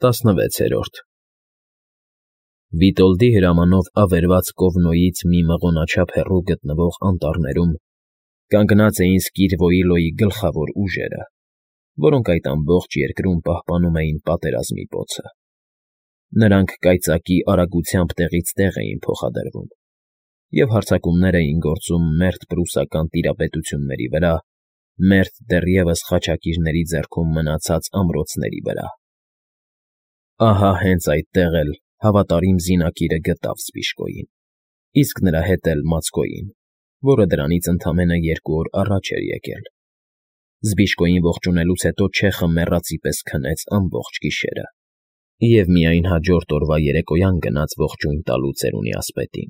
16-րդ Վիտոլդի հրամանով ավերված Կովնոյից մի մղոնաչափ հեռու գտնվող անտառներում կանգնած էին Սկիրվոյիլոյի գլխավոր ուժերը, որոնք այդ ամբողջ երկրում պահպանում էին պատերազմի պոցը։ Նրանք կայծակի արագությամբ տեղից տեղ էին փոխադրվում և հարձակումներ էին գործում մերթ պրուսական տիրապետությունների վրա, մերթ դեռևս խաչակիրների ձեռքում մնացած ամրոցների վրա։ Ահա հենց այդտեղ էլ հավատարիմ զինակիրը գտավ Սպիշկոյին, իսկ նրա հետ էլ Մացկոյին, որը դրանից ընդամենը 2 օր առաջ էր եկել։ Զբիշկոյին ողջունելուց հետո չեխը մեռածի պես քնեց ամբողջ գիշերը և միայն հաջորդ օրվա երեկոյան գնաց ողջույն տալու ծերունի ասպետին։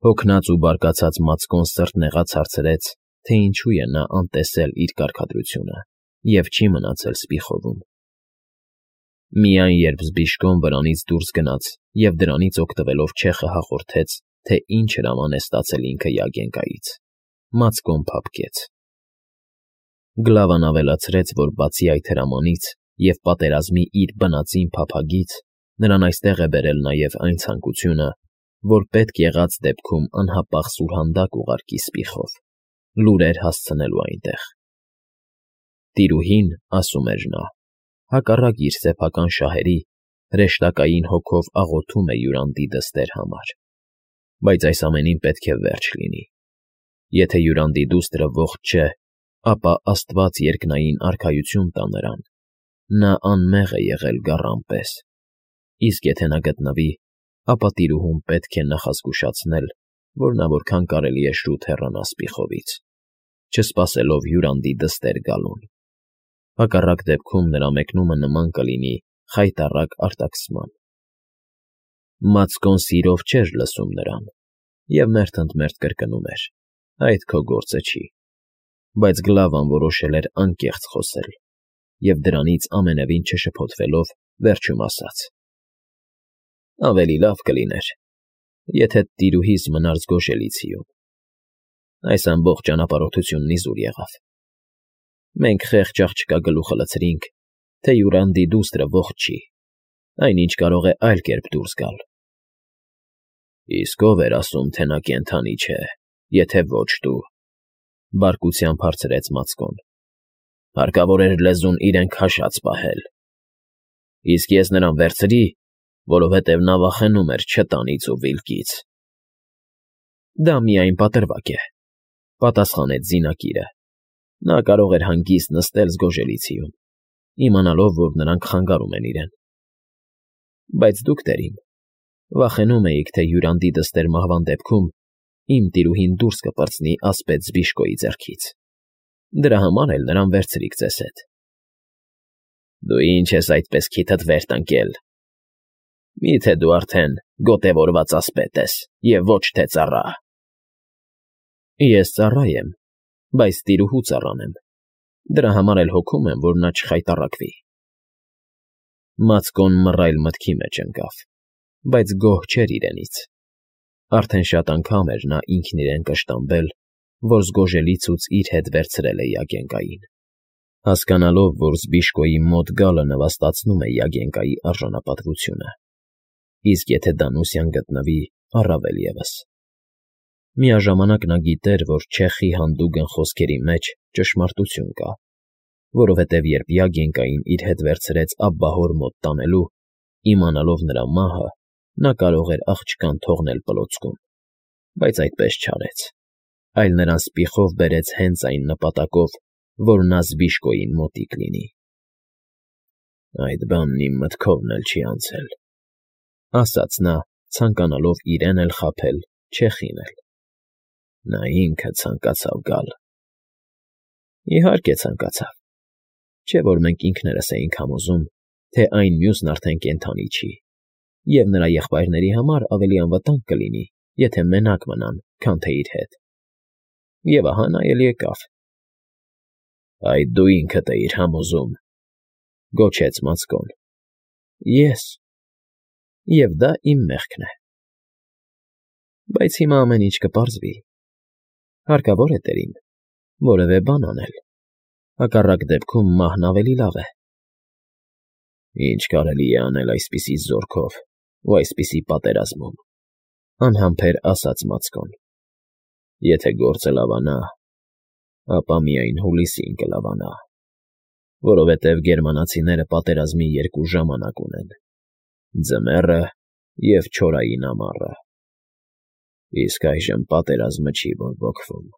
Հոգնած ու բարկացած Մացկոն սրտնեղաց հարցրեց, թե ինչու է նա անտեսել իր կարգադրությունը և չի մնացել Սպիխովում։ Միայն երբ Զբիշկոն վրանից դուրս գնաց և դրանից օգտվելով չեխը հաղորդեց, թե ինչ հրաման է ստացել ինքը Յագենկայից, Մացկոն փափկեց։ Գլավան ավելացրեց, որ բացի այդ հրամանից և պատերազմի իր բնածին փափագից, նրան այստեղ է բերել նաև այն ցանկությունը, որ պետք եղած դեպքում անհապաղ սուրհանդակ ուղարկի Սպիխով, լուրեր հասցնելու այնտեղ։ Տիրուհին, ասում էր նա, հակառակ իր սեփական շահերի, հրեշտակային հոգով աղոթում է Յուրանդի դստեր համար, բայց այս ամենին պետք է վերջ լինի։ Եթե Յուրանդի դուստրը ողջ չէ, ապա Աստված երկնային արքայություն տա նրան, նա անմեղ է եղել գառան պես, իսկ եթե նա գտնվի, ապա տիրուհուն պետք է նախազգուշացնել, որ նա որքան կարելի է շուտ հեռանա Սպիխովից, չսպասելով Յուրանդի դստեր գալուն։ Հակառակ դեպքում նրա մեկնումը նման կլինի խայտառակ արտաքսման։ Մացկոն սիրով չէր լսում նրան և մերթընդմերթ կրկնում էր. «Այդ քո գործը չի», բայց Գլավան որոշել էր անկեղծ խոսել և դրանից ամենևին չշփոթվելով վերջում ասաց. «Ավելի լավ կլիներ, եթե տիրուհիս մնար Զգոժելիցիում։ Այս ամբողջ ճանապարհորդությունն իզուր եղավ։ Մենք խեղճ աղջկա գլուխը լցրինք, թե Յուրանդի դուստրը ողջ չի, այնինչ կարող է այլ կերպ դուրս գալ»։ «Իսկ ո՞վ էր ասում, թե նա կենդանի չէ, եթե ոչ դու», բարկությամբ հարցրեց Մացկոն։ «Հարկավոր էր լեզուն իրեն քաշած պահել։ Իսկ ես նրան վերցրի, որովհետև նա վախենում էր չտանից ու վիլկից»։ «Դա միայն պատրվակ է», պատասխանեց զինակիրը։ Նա կարող էր հանգիստ նստել Զգոժելիցիում, իմանալով, որ նրանք խանգարում են իրեն։ «Բայց դուք, տերին, վախենում էիք, թե Յուրանդի դստեր մահվան դեպքում իմ տիրուհին դուրս կպրծնի ասպետ Զբիշկոյի ձեռքից, դրա համար էլ նրան վերցրիք ձեզ հետ»։ «Դու ինչ ես այդպես քիթդ վեր տնկել։ Մի՞թե դու արդեն գոտևորված ասպետ ես և ոչ թե ծառա»։ «Ես ծառա եմ, բայց տիրուհու ծառան եմ, դրա համար էլ հոգում եմ, որ նա չխայտառակվի»։ Մացկոն մռայլ մտքի մեջ ընկավ, բայց գոհ չէր իրենից։ Արդեն շատ անգամ էր նա ինքն իրեն կշտամբել, որ Զգոժելիցուց իր հետ վերցրել է Յագենկային, հասկանալով, որ Զբիշկոյի մոտ գալը նվաստացնում է Յագենկայի արժանապատվությունը, իսկ եթե Դանուսյան գտնվի, առավել ևս։ Միաժամանակ նա գիտեր, որ չեխի հանդուգն խոսքերի մեջ ճշմարտություն կա, որովհետև երբ Յագենկային իր հետ վերցրեց Աբբահոր մոտ տանելու, իմանալով նրա մահը, նա կարող էր աղջկան թողնել պլոցքում, բայց այդպես չարեց, այլ նրան Սպիխով բերեց հենց այն նպատակով, որ նա Զբիշկոյին մոտիկ լինի։ «Այդ բանն իմ մտքովն էլ չի անցել», ասաց նա, ցանկանալով իրեն էլ խաբել, չեխին էլ։ «Նա ինքը ցանկացավ գալ»։ Իհարկե ցանկացավ, չէ՞ որ մենք ինքներս էինք համոզում, թե այն մյուսն արդեն կենդանի չի, և նրա եղբայրների համար ավելի անվտանգ կլինի, եթե մենակ մնան, քան թե իր հետ։ Եվ ահա նա էլ եկավ։ «Այդ դու ինքդ էիր համոզում», գոչեց Մացկոն։ «Ես։ Եվ դա իմ մեղքն է։ Բայց հիմա ամեն ինչ կպարզվի։ Հարկավոր է, տերին, որևէ բան անել, հակառակ դեպքում մահն ավելի լավ է»։ Ինչ կարելի է անել այսպիսի զորքով ու այսպիսի պատերազմում, անհամբեր ասաց Մացկոն. եթե գործը լավանա, ապա միայն հուլիսին կլավանա, որովհետև գերմանացիները պատերազմի երկու ժամանակ ունեն. ձմեռը և չորային ամառը. իսկ այժմ պատերազմը չի բորբոքվում,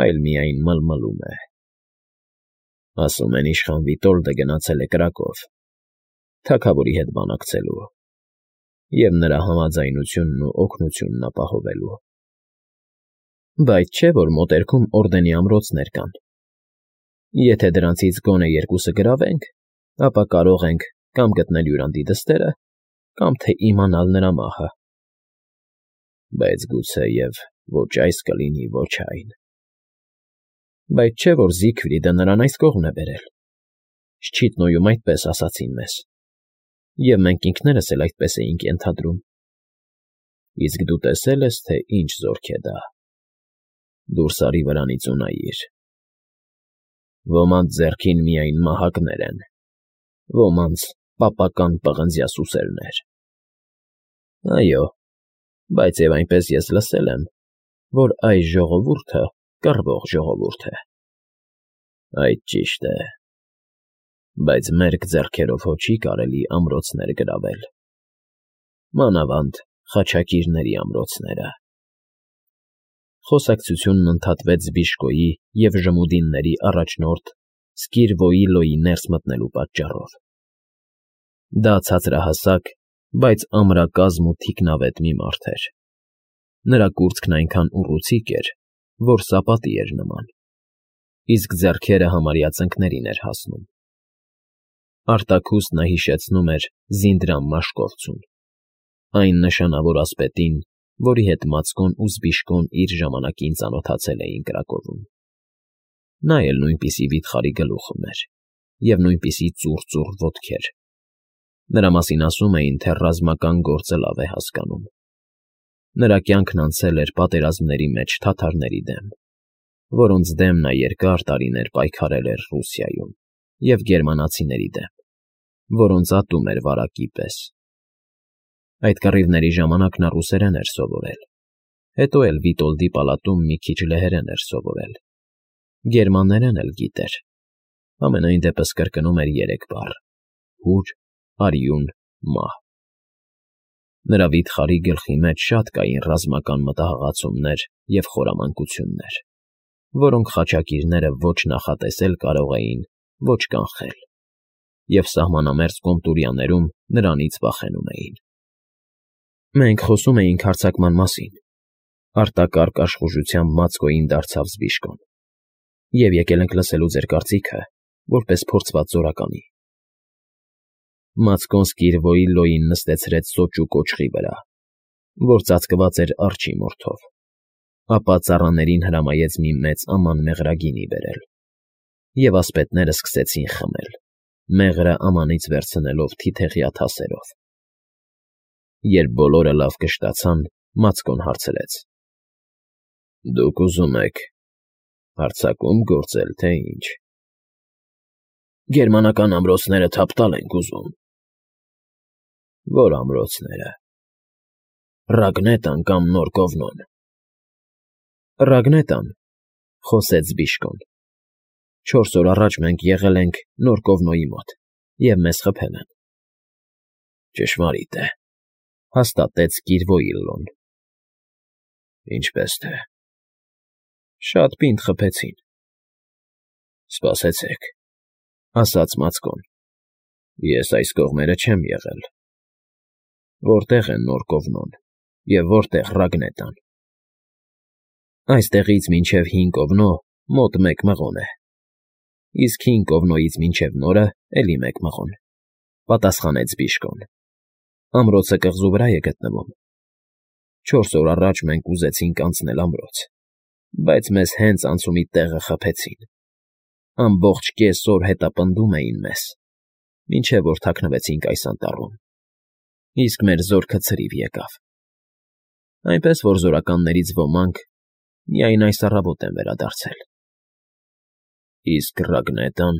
այլ միայն մլմլում է։ Ասում են իշխան Վիտոլդը գնացել է կրակով, թագավորի հետ բանակցելու և նրա համաձայնությունն ու օգնությունն ապահովելու։ Բայց չէ՞ որ մոտերքում օրդենի ամրոցներ կան։ Եթե դրանցից գոնե երկուսը գրավենք, ապա կարող ենք կամ գտնել Յուրանդի դստերը, կամ թե իմանալ նրա մահը։ Բայց գուցեև ոչ այս կլինի, ոչ այն։ Բայց չէ՞ որ Զիգֆրիդը նրան այս կողմն է բերել։ Շչիթնոյում այդպես ասացին մեզ, և մենք ինքներս էլ այդպես էինք ենթադրում։ Իսկ դու տեսել ես, թե ինչ զորք է դա։ Դուրս արի վրանից ու նայիր։ Ոմանց ձեռքին միայն մահակներ են, ոմանց պապական պղնձյա սուսերներ։ Այո, բայց և այնպես ես լսել եմ, որ այս ժողովուրդը կռվող ժողովուրդ է։ Այդ ճիշտ է, բայց մերկ ձեռքերով հո չի կարելի ամրոցներ գրավել, մանավանդ խաչակիրների ամրոցները։ Խոսակցությունն ընդհատվեց Զբիշկոյի և ժմուդինների առաջնորդ Սկիրվոիլոյի ներս մտնելու պատճառով։ Դա ցածրահասակ, բայց ամրակազմ ու թիկնավետ մի մարդ էր։ Նրա կուրծքն այնքան ուռուցիկ էր, որ սապատի էր նման, իսկ ձեռքերը համարյա ծնկներին էր հասնում։ Արտաքուստ նա հիշեցնում էր Զինդրամ Մաշկովցուն, այն նշանավոր ասպետին, որի հետ Մացկոն ու Զբիշկոն իր ժամանակին ծանոթացել էին Կրակովում։ Նա էլ նույնպիսի վիթխարի գլուխ ուներ և նույնպիսի ծուռ ոտքեր։ Նրա մասին ասում էին, թե ռազմական գործը լավ է հասկանում։ Նրա կյանքն անցել էր պատերազմների մեջ թաթարների դեմ, որոնց դեմ նա երկար տարիներ պայքարել էր Ռուսիայում, և գերմանացիների դեմ, որոնց ատում էր վարակի պես։ Այդ կռիվների ժամանակ նա ռուսերեն էր սովորել, հետո էլ Վիտոլդի պալատում մի քիչ լեհերեն էր սովորել, գերմաներեն էլ գիտեր, համենայն դեպս կրկնում էր 3 բառ՝ հուր, արյուն, մահ։ Նրա վիթխարի գլխի մեջ շատ կային ռազմական մտահղացումներ և խորամանկություններ, որոնք խաչակիրները ոչ նախատեսել կարող էին, ոչ կանխել, և սահմանամերձ Կոմտուրյաներում նրանից վախենում էին։ Մենք խոսում էինք հարձակման մասին, արտակարգ աշխուժությամբ Մացկոյին դարձավ Զբիշկոն, և եկել ենք լսելու ձեր կարծիքը, որպես փորձված զորականի։ Մացկոն Սկիրվոիլոյին նստեցրեց սոճու կոճղի վրա, որ ծածկված էր արջի մորթով, ապա ծառաներին հրամայեց մի մեծ աման մեղրագինի բերել, և ասպետները սկսեցին խմել, մեղրը ամանից վերցնելով թիթեղյա թասերով։ Երբ բոլորը լավ կշտացան, Մացկոն հարցրեց. «Դուք ուզում եք հարձակում գործել, թե ինչ»։ Գերմանական ամրոցները թափ տալ ենք ուզում։ Ո՞ր ամրոցները։ Ռագնետան կամ Նոր Կովնոն։ Ռագնետան, խոսեց Զբիշկոն։ 4 օր առաջ մենք եղել ենք Նոր Կովնոյի մոտ, և մեզ խփել են։ Ճշմարիտ է, հաստատեց Սկիրվոիլլոն։ Ինչպես թե։ Շատ պինդ խփեցին։ Սպասեցեք, ասաց Մացկոն։ Ես այս կողմերը չեմ եղել։ Որտե՞ղ է Նոր Կովնոն և որտե՞ղ Ռագնետան։ Այստեղից մինչև Հին Կովնո մոտ 1 մղոն է, իսկ Հին Կովնոյից մինչև Նորը էլի 1 մղոն, պատասխանեց Զբիշկոն։ Ամրոցը կղզու վրա է գտնվում։ 4 օր առաջ մենք ուզեցինք անցնել ամրոց, բայց մեզ հենց անցումի տեղը խփեցին։ Ամբողջ կես օր հետապնդում էին մեզ, մինչև որ թաքնվեցինք այս անտառում, իսկ մեր զորքը ցրիվ եկավ։ Այնպես որ զորականներից ոմանք միայն այս առավոտ են վերադարձել։ Իսկ Ռագնետան։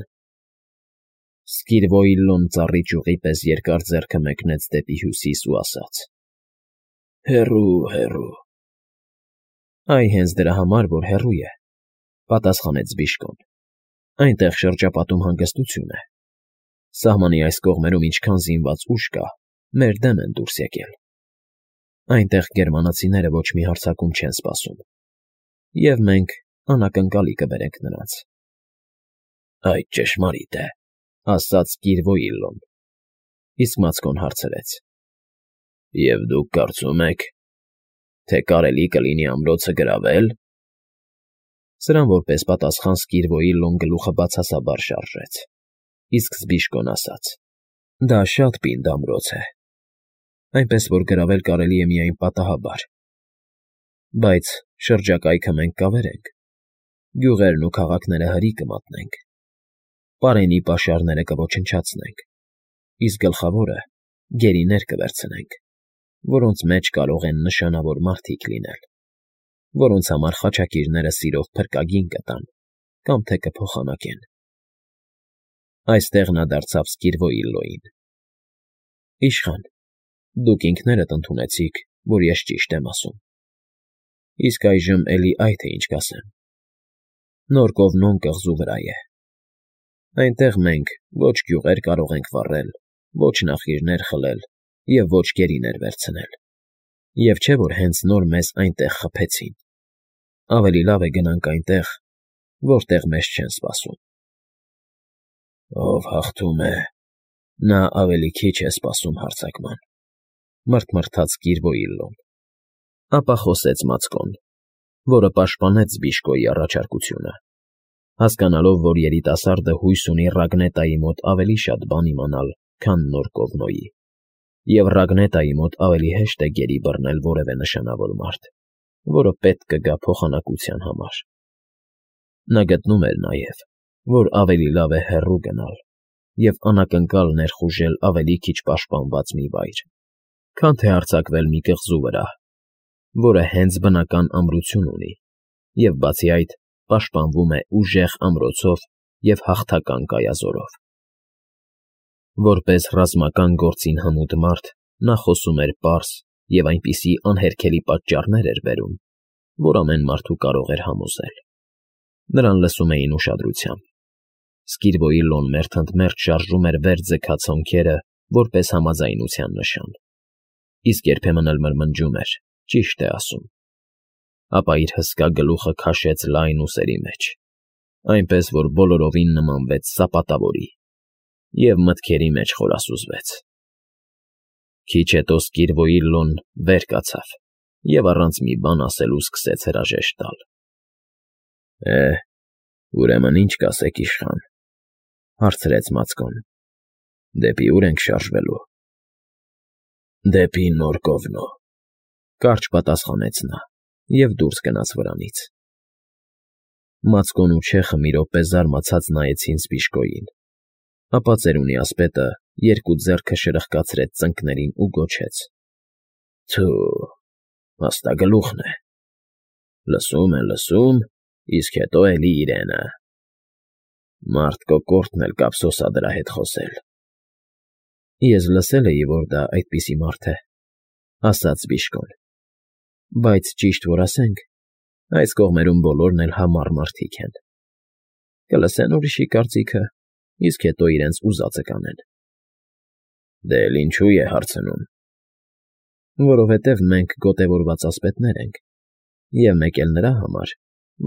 Սկիրվոիլլոն ծառի ճյուղի պես երկար ձեռքը մեկնեց դեպի հյուսիս ու ասաց. «Հեռու, հեռու»։ Այ հենց դրա համար, որ հեռու է, պատասխանեց Բիժկոն։ Այնտեղ շրջապատում հանգստություն է։ Սահմանի այս կողմերում ինչքան զինված ուժ կա, մեր դեմ են դուրս եկել։ Այնտեղ գերմանացիները ոչ մի հարձակում չեն սպասում, և մենք անակնկալի կբերենք նրանց։ Այդ ճշմարիտ է, ասաց Կիրվոիլլոն։ Իսկ Մացկոն հարցրեց. Եվ դուք կարծում եք, թե կարելի կլինի ամրոցը գրավել։ Սրան որպես պատասխան Սկիրվոիլլոն գլուխը բացասաբար շարժեց, իսկ Զբիժկոն ասաց. Դա շատ պինդ ամրոց է, այնպես որ գրավել կարելի է միայն պատահաբար։ Բայց շրջակայքը մենք կավերենք, գյուղերն ու քաղաքները հրի կմատնենք, պարենի պաշարները կոչնչացնենք, իսկ գլխավորը գերիներ կվերցնենք, որոնց մեջ կարող են նշանավոր մարդիկ լինել, որոնց համար խաչակիրները սիրով փրկագին կտան կամ թե կփոխանակեն։ Այստեղ նա դարձավ Սկիրվոիլլոյին. Իշխան, դուք ինքներդ ընդունեցիք, որ ես ճիշտ եմ ասում։ Իսկ այժմ էլի այ թե ինչ կասեմ։ Նոր Կովնոն կղզու վրա է։ Այնտեղ մենք ոչ գյուղեր կարող ենք վառել, ոչ նախիրներ խլել և ոչ գերիներ վերցնել։ Եվ չէ որ հենց նոր մեզ այնտեղ խփեցին։ Ավելի լավ է գնանք այնտեղ, որտեղ մեզ չեն սպասում։ Ով հաղթում է, նա ավելի քիչ է սպասում հարձակման, մռթմռթաց Կիրվոիլլոն։ Ապա խոսեց Մացկոն, որը պաշտպանեց Զբիժկոյի առաջարկությունը, հասկանալով, որ երիտասարդը հույս ունի Ռագնետայի մոտ ավելի շատ բան իմանալ, քան նոր Կովնոյի, և Ռագնետայի մոտ ավելի հեշտ է գերի բռնել որևէ նշանավոր մարդ, որը պետք կգա փոխանակության համար։ Նա գտնում էր նաև, որ ավելի լավ է հեռու գնալ և անակնկալ ներխուժել ավելի քիչ պաշտպանված մի վայր, քան թե հարձակվել մի կղզու վրա, որը հենց բնական ամրություն ունի և, բացի այդ, պաշտպանվում է ուժեղ ամրոցով և հաղթական կայազորով։ Որպես ռազմական գործին հմուտ մարդ նա խոսում էր պարզ և այնպիսի անհերքելի պատճառներ էր բերում, որ ամեն մարդու կարող էր համոզել։ Նրան լսում էին ուշադրությամբ։ Սկիրվոիլլոն մերթընդմերթ շարժում էր վեր ձգած հոնքերը որպես համաձայնության նշան, իսկ երբեմն էլ մրմնջում էր, ճիշտ է ասում։ Ապա իր հսկա գլուխը քաշեց լայն ուսերի մեջ, այնպես որ բոլորովին նմանվեց սապատավորի, և մտքերի մեջ խորասուզվեց։ Քիչ հետո Սկիրվոիլլոն վեր կացավ և առանց մի բան ասելու սկսեց հրաժեշտ տալ։ Ուրեմն ինչ կասեք, իշխան, հարցրեց Մացկոն։ Դեպի ուր ենք շարժվելու։ Դեպի նոր Կովնո, կարճ պատասխանեց նա և դուրս գնաց վրանից։ Մացկոն ու Չեխը մի րոպե զարմացած նայեցին Զբիժկոյին, ապա ծերունի ասպետը երկու ձեռքը շրխկացրեց ծնկներին ու գոչեց. Թո՛ւ, փաստագլուխն է։ Լսում, իսկ հետո էլի իրենը։ Մարդ կոկորդն էլ կափսոսա դրա հետ խոսել։ Ես լսել էի, որ դա այդպիսի մարդ է, ասաց Բիժկոն, բայց ճիշտ որ ասենք, այս կողմերում բոլորն էլ համառ մարդիկ են։ Կլսեն ուրիշի կարծիքը, իսկ հետո իրենց ուզածը կանեն։ Դե էլ ինչու է հարցնում։ Որովհետև մենք գոտևորված ասպետներ ենք, և մեկ էլ նրա համար,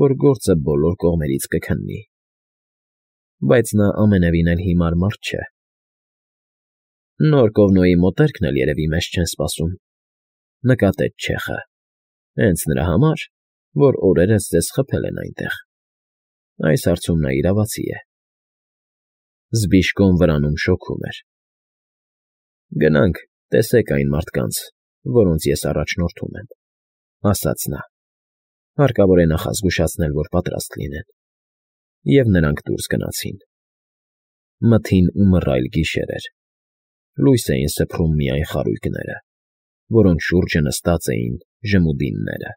որ գործը բոլոր կողմերից կքննի։ Բայց նա ամենևին էլ հիմար մարդ չէ։ Նոր Կովնոյի մոտերքն էլ երևի մեզ չեն սպասում, նկատեց Չեխը, հենց նրա համար, որ օրերս ձեզ խփել են այնտեղ։ Այս հարցում նա իրավացի է։ Զբիժկոն վրանում շոգում էր։ Գնանք, տեսեք այն մարդկանց, որոնց ես առաջնորդում եմ, ասաց նա։ Հարկավոր է նախազգուշացնել, որ պատրաստ լինեն։ Եվ նրանք դուրս գնացին։ Մթին ու մռայլ գիշեր էր։ Լույս էին սփռում միայն խարույկները, որոնց շուրջը նստած էին ժմուդինները։